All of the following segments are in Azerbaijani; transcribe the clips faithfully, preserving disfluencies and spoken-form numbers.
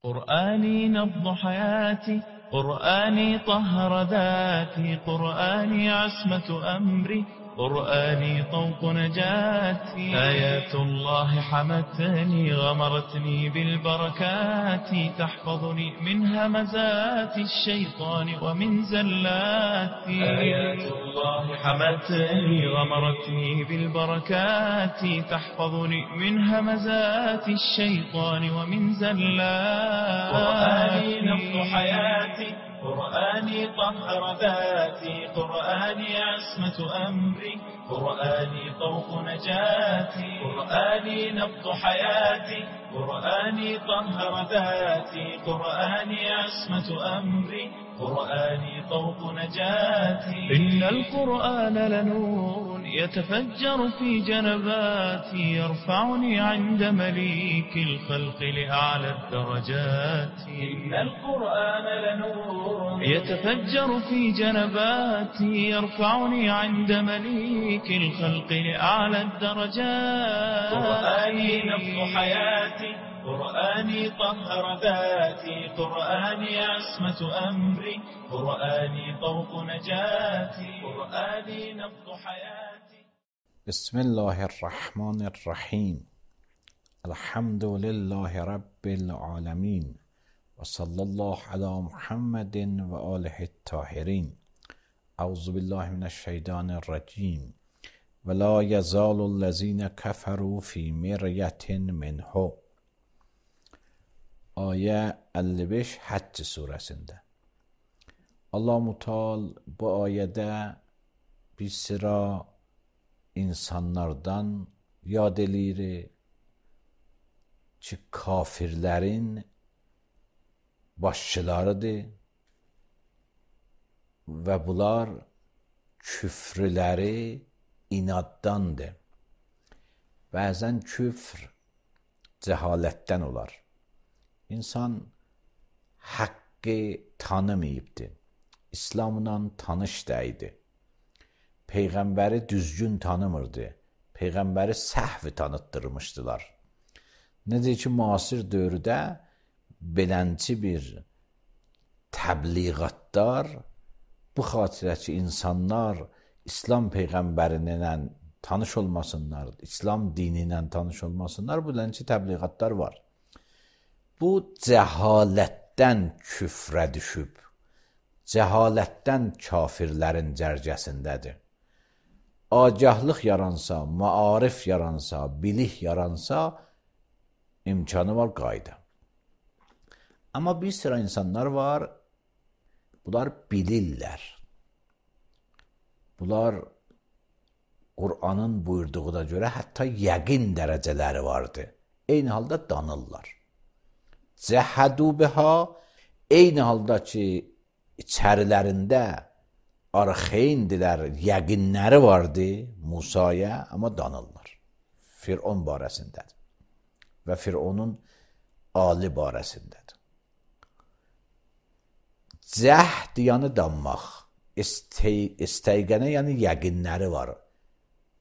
قرآني نبض حياتي، قرآني طهر ذاتي، قرآني عصمة أمري، قرآني طوق نجاتي. آيات الله حمتني غمرتني بالبركات، تحفظني من همزات الشيطان ومن زلاتي. آيات الله حمتني غمرتني بالبركات، تحفظني من همزات الشيطان ومن زلاتي. قرآني نبض حياتي، قرآني طهر ذاتي، قرآني عصمة أمري، قرآني طوق نجاتي. قرآني نبض حياتي، قرآني طهر ذاتي، قرآني عصمة أمري، قرآني طوق نجاتي. إن القرآن لنور يتفجر في جنباتي، يرفعني عند مليك الخلق لأعلى الدرجات. إن القرآن لنور يتفجر في جنباتي، يرفعني عند مليك الخلق لأعلى الدرجات. قرآني نبض حياتي، قرآني طهر ذاتي، قرآني عصمة أمري، قرآني طوق نجاتي. قرآني نبض حياتي. بسم الله الرحمن الرحیم. الحمد لله رب العالمین و صلی الله علی محمد و آله الطاهرین. اعوذ بالله من الشیطان الرجیم. ولا یزال الذین کفروا فی مریة منه. Ayə əlli beş Həcc surəsində. Allah-u Teala bu ayədə bir sıra insanlardan yad eləyir ki, kafirlərin başçılarıdır və bunlar küfrləri inaddandır. Bəzən küfr cəhalətdən olar. İnsan haqqı tanımayıbdır. İslamla tanış deyildi. Peyğəmbəri düzgün tanımırdı. Peyğəmbəri səhv tanıtdırmışdılar. Necə ki, müasir dövrdə belənçi bir təbliğatlar bu xatirə ki, insanlar İslam Peyğəmbərinlə tanış olmasınlar, İslam dini ilə tanış olmasınlar, bu belənçi təbliğatlar var. Bu cəhalətdən küfrə düşüb, cəhalətdən kafirlərin cərgəsindədir. Agahlıq yaransa, maarif yaransa, bilik yaransa, imkanı var, qayda. Amma bir sıra insanlar var, bunlar bilirlər. Bunlar Qur'anın buyurduğuna görə hətta yəqin dərəcələri vardır. Eyni halda danırlar. Cəhədu biha, eyni halda ki, içərilərində arxeyindilər, yəqinləri vardı Musaya, amma danırlar. Fir'on barəsindədir və Fir'onun ali barəsindədir. Cəhd yəni danmaq, istəygənə yəni yəqinləri var,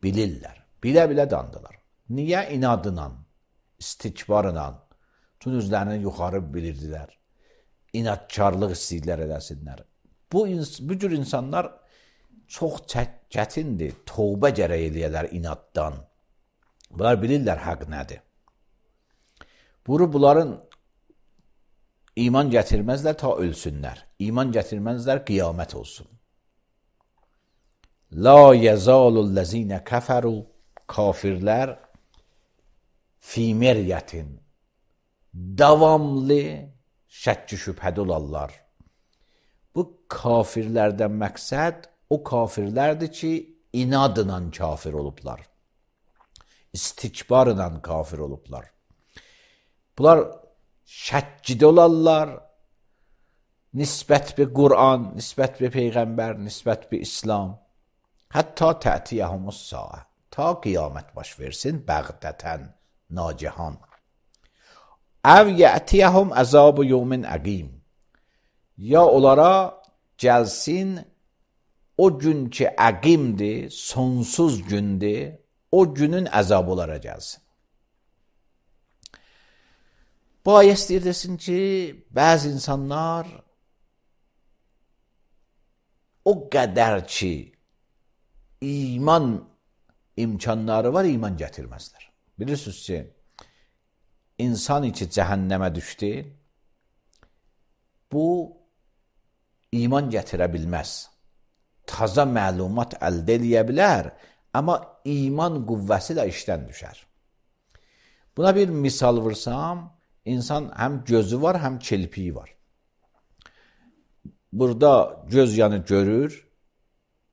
bilirlər, bilə-bilə dandılar. Niyə? İnadla, istikbarla, tüm özlərini yuxarı bilirdilər. İnadkarlıq istəyirlər eləsinlər. Bu, bu cür insanlar çox çətindir. Tövbə gərək eləyərlər inaddan. Bunlar bilirlər haqq nədir. Bunu bunların iman gətirməzlər ta ölsünlər. İman gətirməzlər qiyamət olsun. La yəzalullezine kəfəru, kafirlər fi meriyyətin, davamlı şəkki şübhədə olarlar. Bu kafirlərdən məqsəd o kafirlərdir ki, inadla kafir olublar. İstikbarla kafir olublar. Bunlar şəkkidə olarlar. Nisbət bir Qur'an, nisbət bir Peyğəmbər, nisbət bir İslam. Hətta tətiyyəhumus saə. Ta qiyamət baş versin, bəğdətən, nacihan. Əv yətiyəhum əzab-ı yevmin əqim. Ya onlara gəlsin o gün ki əqimdir, sonsuz gündür, o günün əzabı onlara gəlsin. Bayəs deyirsin ki, bəzi insanlar o qədər ki, iman imkanları var, iman gətirməzlər. Bilirsiniz ki, insan ki, cəhənnəmə düşdü, bu iman gətirə bilməz. Taza məlumat əldə eləyə bilər, amma iman qüvvəsi də işdən düşər. Buna bir misal vursam, insan həm gözü var, həm çelpiyi var. Burada göz yanı görür,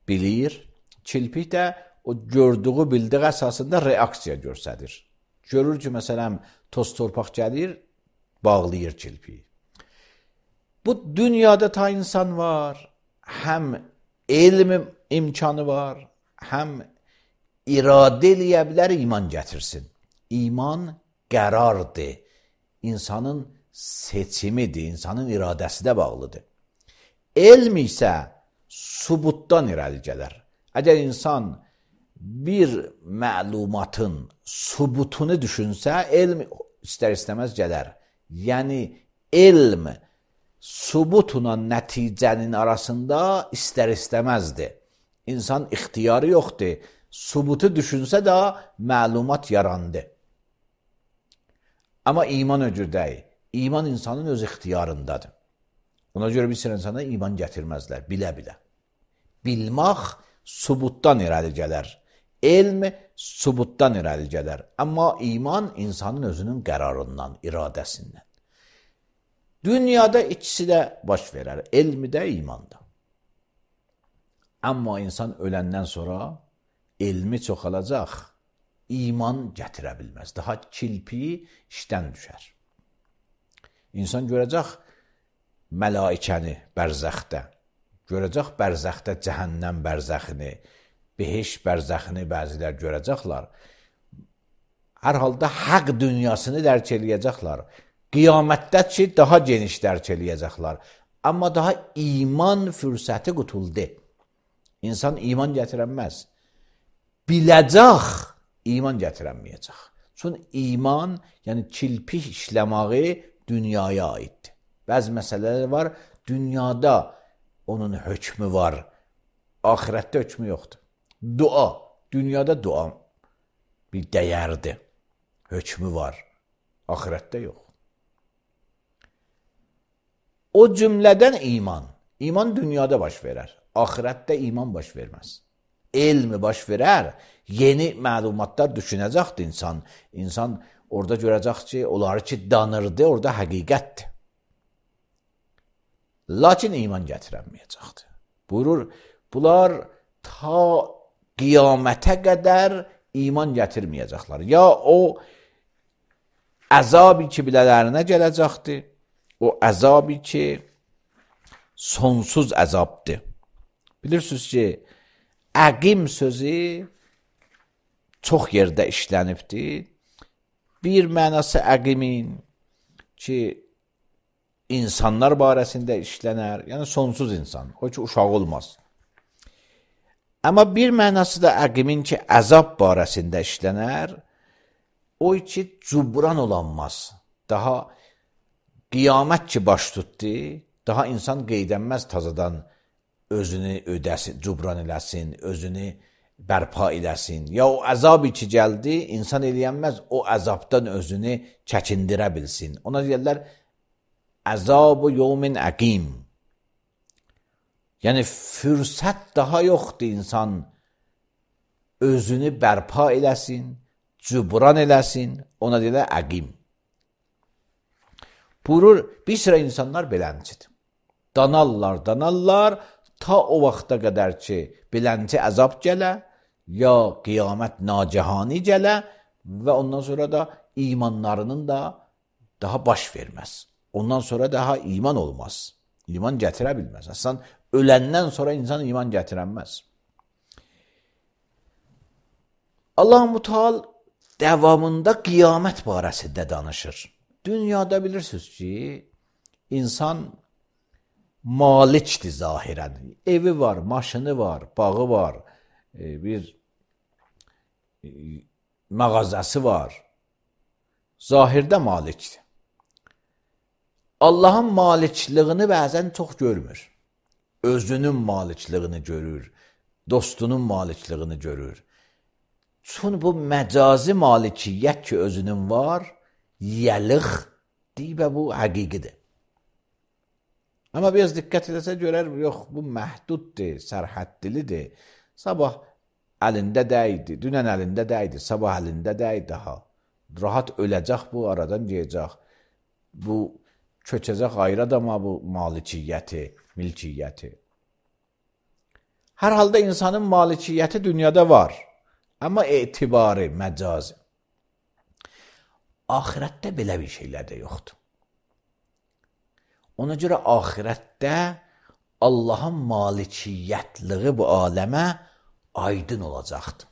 bilir, çelpik də o gördüğü, bildiği əsasında reaksiya göstərir. Görür ki, məsələn, toz torpaq gəlir, bağlayır çelpiyi. Bu dünyada ta insan var, həm elm imkanı var, həm iradə eləyə bilər, iman gətirsin. İman qərardır, insanın seçimidir, insanın iradəsi də bağlıdır. Elm isə subutdan irəli gələr. Əgər insan bir məlumatın subutunu düşünsə, elm istər-istəməz gələr. Yəni, elm subutla nəticənin arasında istər-istəməzdir. İnsan ixtiyarı yoxdur. Subutu düşünsə də məlumat yarandı. Amma iman öcür deyil. İman insanın öz ixtiyarındadır. Ona görə bir sürü insana iman gətirməzlər, bilə-bilə. Bilmək subutdan irəli gələr. Elm subutdan irəli gələr. Amma iman insanın özünün qərarından, iradəsindən. Dünyada ikisi də baş verər. Elmi də, iman da. Amma insan öləndən sonra elmi çoxalacaq, iman gətirə bilməz. Daha kilpi işdən düşər. İnsan görəcək mələikəni bərzəxdə, görəcək bərzəxdə cəhənnəm bərzəxini, behiş bərzəxini bəzilər görəcəklər. Hər halda haqq dünyasını dərk eləyəcəklər. Qiyamətdə ki, daha geniş dərk eləyəcəklər. Amma daha iman fürsəti qutuldu. İnsan iman gətirənməz. Biləcək, iman gətirənməyəcək. Çünki iman, yəni kilpik işləməyi dünyaya aiddir. Bəzi məsələlər var, dünyada onun hökmü var, axirətdə hökmü yoxdur. Dua, dünyada dua bir dəyərdir, hökmü var, axirətdə yox. O cümlədən iman, iman dünyada baş verər, axirətdə iman baş verməz. Elmi baş verər, yeni məlumatlar düşünəcəkdir insan. İnsan orada görəcək ki, onları ki danırdı, orada həqiqətdir. Lakin iman gətirənməyəcəkdir. Buyurur, bunlar ta qiyamətə qədər iman gətirməyəcəklər. Ya o əzabı ki bilələrinə gələcəkdir, o əzabı ki sonsuz əzabdır. Bilirsiniz ki, əqim sözü çox yerdə işlənibdir. Bir mənası əqimin ki, insanlar barəsində işlənər, yəni sonsuz insan, o ki, uşaq olmaz. Amma bir mənası da əqimin ki, əzab barəsində işlənər, o ki, cubran olanmaz. Daha qiyamət ki, baş tutdu, daha insan qeydənməz tazadan özünü ödəsin, cubran eləsin, özünü bərpa eləsin. Ya o əzabı ki, gəldi, insan eləyənməz, o əzabdan özünü çəkindirə bilsin. Ona deyərlər, əzab-ı yevmin əqim. Yəni, fürsət daha yoxdur insan özünü bərpa eləsin, cubran eləsin, ona deyirlər əqim. Buyurur, bir sıra insanlar beləncidir. Danarlar, danarlar, ta o vaxta qədər ki, bilənci əzab gələ, ya qiyamət nacihani gələ və ondan sonra da imanlarının da daha baş verməz. Ondan sonra daha iman olmaz. İman gətirə bilməz. Əslən, öləndən sonra insan iman gətirənməz. Allah-u Teala davamında qiyamət barəsində danışır. Dünyada bilirsiniz ki, insan malikdir zahirən. Evi var, maşını var, bağı var, bir mağazası var. Zahirdə malikdir. Allahın malikliyini bəzən çox görmür. Özünün malikliyini görür, dostunun malikliyini görür. Çünki bu məcazi malikiyyət ki özünün var, yəliq deyib və bu həqiqidir. Amma biraz diqqət edəsə görər, yox bu məhduddur, sərhəddilidir. Sabah əlində dəydi, dünən əlində dəydi, sabah əlində dəydi daha. Rahat öləcək bu, aradan gələcək. Bu köçəcək ayrı adama bu malikiyyəti, milkiyyəti. Hər halda insanın malikiyyəti dünyada var. Amma etibarı, məcazi. Ahirətdə belə bir şeylər də yoxdur. Ona görə ahirətdə Allahın malikiyyətliği bu aləmə aydın olacaqdır.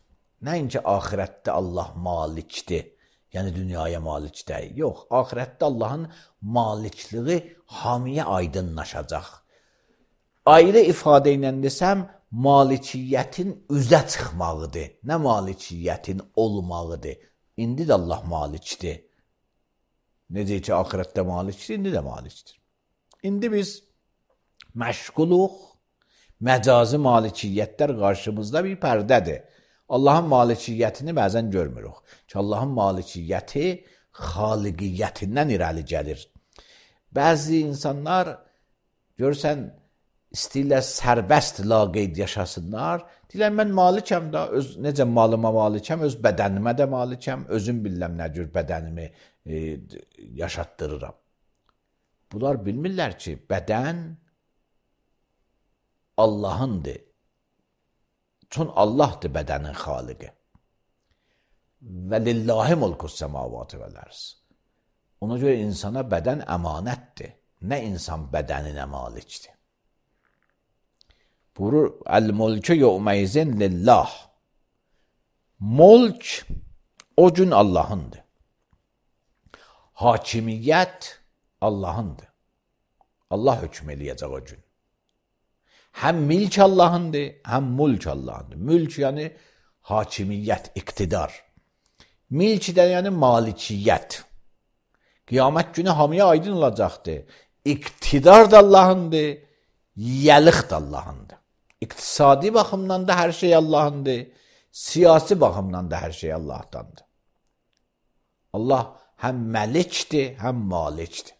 Nəinki ahirətdə Allah malikdir, yəni dünyaya malik deyil. Yox, ahirətdə Allahın malikliği hamiyə aydınlaşacaq. Ayrı ifadə ilə desəm, malikiyyətin üzə çıxmağıdır, nə malikiyyətin olmağıdır. İndi də Allah malikdir. Necə ki, ahirətdə malikdir, indi də malikdir. İndi biz məşğuluq, məcazi malikiyyətlər qarşımızda bir pərdədir. Allahın malikiyyətini bəzən görmürük. Ki, Allahın malikiyyəti xaliqiyyətindən irəli gəlir. Bəzi insanlar, görürsən, istəyirlər sərbəst laqeyd yaşasınlar. Deyirlər, mən malikəm da, öz, necə malıma malikəm, öz bədənimə də malikəm, özüm biləm nə cür bədənimi e, yaşatdırıram. Bunlar bilmirlər ki, bədən Allahındır. Çünki Allahdır bədənin xaliqi. Və lillahi mulkus səmavatı vəl-ərz. Ona görə insana bədən əmanətdir. Nə insan bədəninə malikdir. Buyurur, əl-mulkü yevmeyzin lillah. Mulk o gün Allahındır. Hakimiyyət Allahındır. Allah hökm eləyəcək o gün. Həm milk Allahındır, həm mulk Allahındır. Mülk yəni hakimiyyət, iqtidar. Milk də yəni malikiyyət. Qiyamət günü hamıya aydın olacaqdır. İqtidar da Allahındır, yəliq da Allahındır. İqtisadi baxımdan da hər şey Allahındır, siyasi baxımdan da hər şey Allahdandır. Allah həm məlikdir, həm malikdir.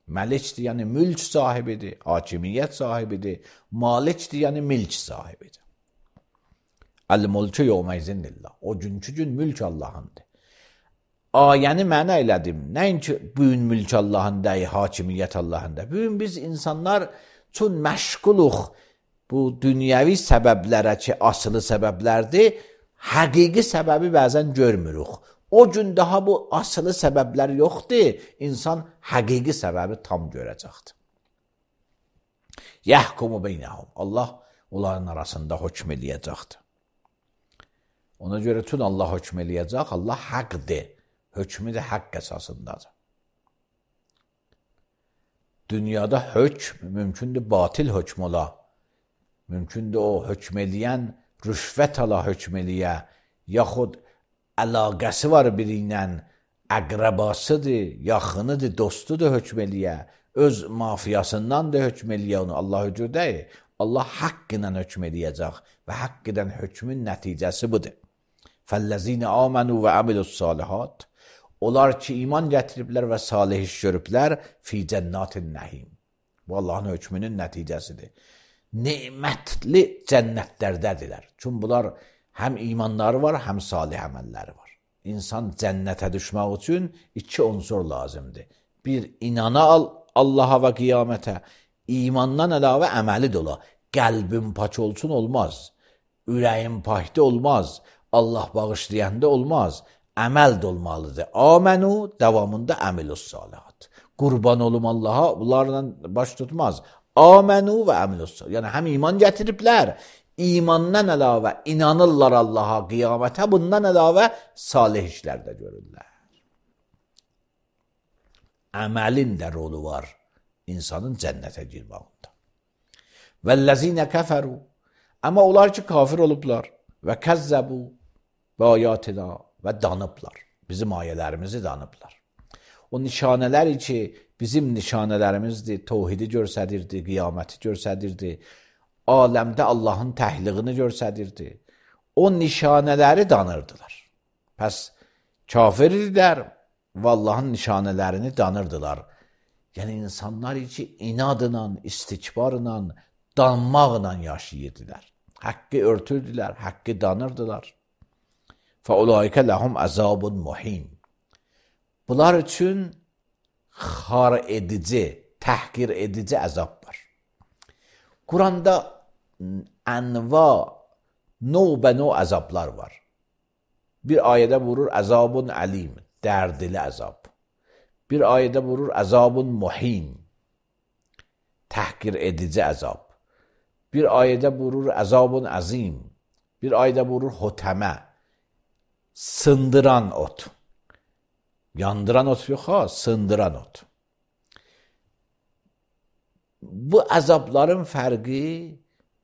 Məlikdir, yəni mülk sahibidir, hakimiyyət sahibidir, malikdir, yəni milk sahibidir. Əl-mulku yevmeyzin lillah. O günkü gün mülk Allahındır. Ayəni mənə elədim. Nəinki bugün mülk Allahındır, hakimiyyət Allahındır. Bugün biz insanlar üçün məşğuluq bu dünyəvi səbəblərə ki, asılı səbəblərdir, həqiqi səbəbi bəzən görmürük. O gün daha bu asılı səbəblər yoxdur, insan həqiqi səbəbi tam görəcəkdir. Yəhkumu beynəhum. Allah onların arasında hökm eləyəcəkdir. Ona görə tün Allah hökm eləyəcək, Allah həqdir. Hökmü də haqq əsasındadır. Dünyada hökm mümkündür batil hökm ola. Mümkündür o hökm eləyən rüşvət ala hökm eləyə, yaxud əlaqəsi var biri ilə, əqrəbasıdır, yaxınıdır, dostudur hökm eləyə, öz mafiyasından da hökm eləyə onu. Allah höcür deyil. Allah haqq ilə hökm eləyəcək və haqq edən hökmün nəticəsi budur. Fəllezine amenu və amilus salihat. Onlar ki, iman gətiriblər və salih iş görüblər, fi cənnatin nəhim. Bu, Allahın hökmünün nəticəsidir. Nemətli cənnətlərdədirlər. Çünki bunlar həm imanları var, həm salih əməlləri var. İnsan cənnətə düşmək üçün iki unsur lazımdır. Bir, inana al Allaha və qiyamətə. İmandan əlavə əməli də ola. Qəlbin pak olsun olmaz. Ürəyin pakda olmaz. Allah bağışlayanda olmaz. Əməl də olmalıdır. Amenü davamında əmilus salihat. Qurban olum Allaha, bunlarla baş tutmaz. Amenü və əmilus salihat. Yəni həm iman gətiriblər, imandan əlavə inanırlar Allaha, qiyamətə, bundan əlavə salih işlər də görürlər. Əməlin də rolu var insanın cənnətə girmağında. Vəllezine kəfəru. Amma onlar ki, kafir olublar və kəzzəbu və ayatina və danıblar. Bizim ayələrimizi danıblar. O nişanələr ki, bizim nişanələrimizdir, təvhidi göstərirdi, qiyaməti göstərirdi, aləmdə Allahın təhliğini göstərirdi. O nişanələri danırdılar. Pəs kafir idilər və Allahın nişanələrini danırdılar. Yəni insanlar ki, inadla, istikbarla, danmaqla yaşayırdılar. Haqqı örtürdülər, haqqı danırdılar. فَاُولَٰئِكَ لَهُمْ عَذَابٌ مُحِينٌ. Bunlar üçün xar edici, təhqir edici əzab var. Quranda ənva, növbə-növ əzablar var. Bir ayədə vurur əzabun əlim, dərdili əzab. Bir ayədə vurur əzabun muhin, təhqir edici əzab. Bir ayədə vurur əzabun əzim. Bir ayədə vurur hotəmə, sındıran ot. Yandıran ot yox ha, sındıran ot. Bu əzabların fərqi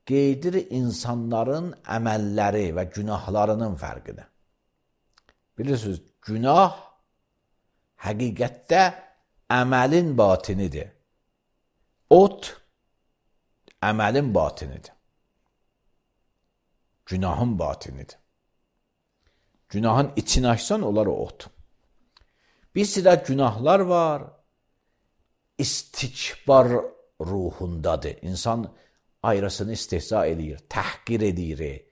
qeydir insanların əməlləri və günahlarının fərqini. Bilirsiniz, günah həqiqətdə əməlin batinidir. Ot əməlin batinidir. Günahın batinidir. Günahın içini açsan, onlar o ot. Bir sıra günahlar var, istikbar ruhundadır. İnsan ayrısını istehza edir, təhqir edir,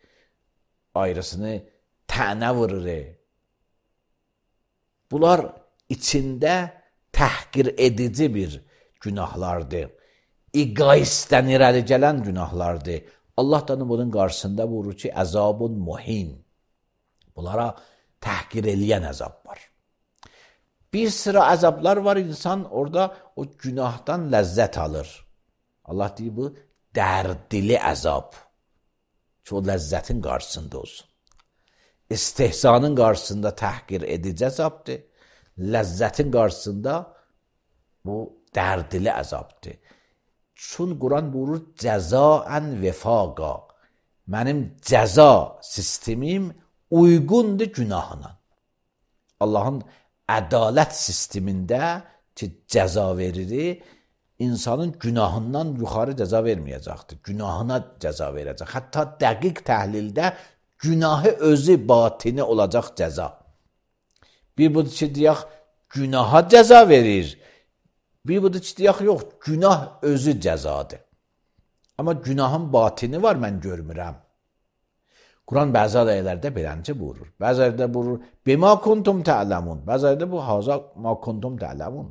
ayrısını tənə vurur. Bunlar içində təhqir edici bir günahlardır. İqaisdən irəli gələn günahlardır. Allah da bunun qarşısında vurur ki, əzabun muhin. Bunlara təhqir eləyən əzab var. Bir sıra əzablar var, insan orada o günahdan ləzzət alır. Allah deyir, bu dərdili əzab. Ki, o ləzzətin qarşısında olsun. İstehzanın qarşısında təhqir edici əzabdır. Ləzzətin qarşısında bu dərdili əzabdır. Çün Quran buyurur, cəzaən vefaqa. Mənim cəza sistemim uyğundur günahına. Allahın ədalət sistemində ki, cəza verir, insanın günahından yuxarı cəza verməyəcəkdir. Günahına cəza verəcək. Hətta dəqiq təhlildə günahı özü batini olacaq cəza. Bir budur ki, deyək, günaha cəza verir. Bir budur ki, deyək, yox, günah özü cəzadır. Amma günahın batini var, mən görmürəm. Quran bəzi ayələrdə beləncə buyurur. Bəzi ayələrdə buyurur, bima kuntum ta'lamun. Bəzi ayələrdə bu haza ma kuntum ta'lamun.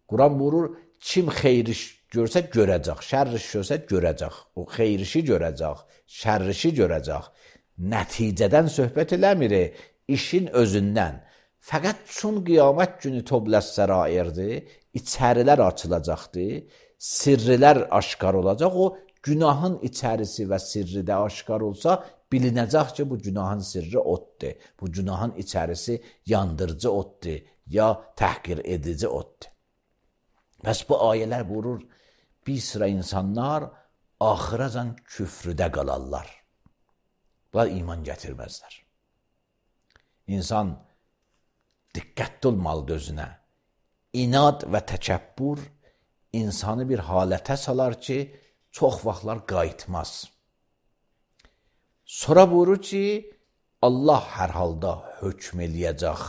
Quran buyurur, kim xeyir iş görsə görəcək, şər iş görsə görəcək. O xeyir işi görəcək, şər işi görəcək. Nəticədən söhbət eləmir, işin özündən. Fəqət çün qiyamət günü tobləs sərairdir, içərilər açılacaqdır, sirrilər aşkar olacaq. O günahın içərisi və sirri də aşkar olsa, bilinəcək ki, bu günahın sirri otdur. Bu günahın içərisi yandırıcı otdur, ya təhqir edici otdur. Bəs bu ayələr vurur, bir sıra insanlar axıracan küfrüdə qalarlar. Bunlar iman gətirməzlər. İnsan diqqətli olmalıdır özünə. İnad və təkəbbür insanı bir halətə salar ki, çox vaxtlar qayıtmaz. Sonra buyurur ki, Allah hər halda hökm eləyəcək.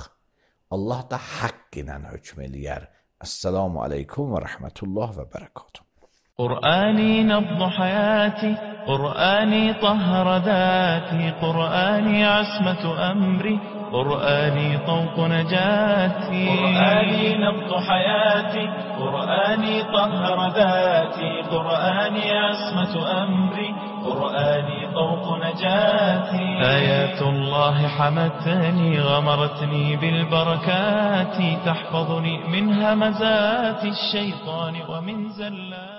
Allah da haqq ilə hökm eləyər. Esselamu aleykum və rəhmətullah və bərəkatuhu. قرآني نبض حياتي قرآني طهر ذاتي قرآني عصمة أمري قرآني طوق نجاتي قرآني نبض حياتي قرآني طهر ذاتي قرآني عصمة أمري قرآني طوق نجاتي آيات الله حمتني غمرتني بالبركات تحفظني من همزات الشيطان ومن زلات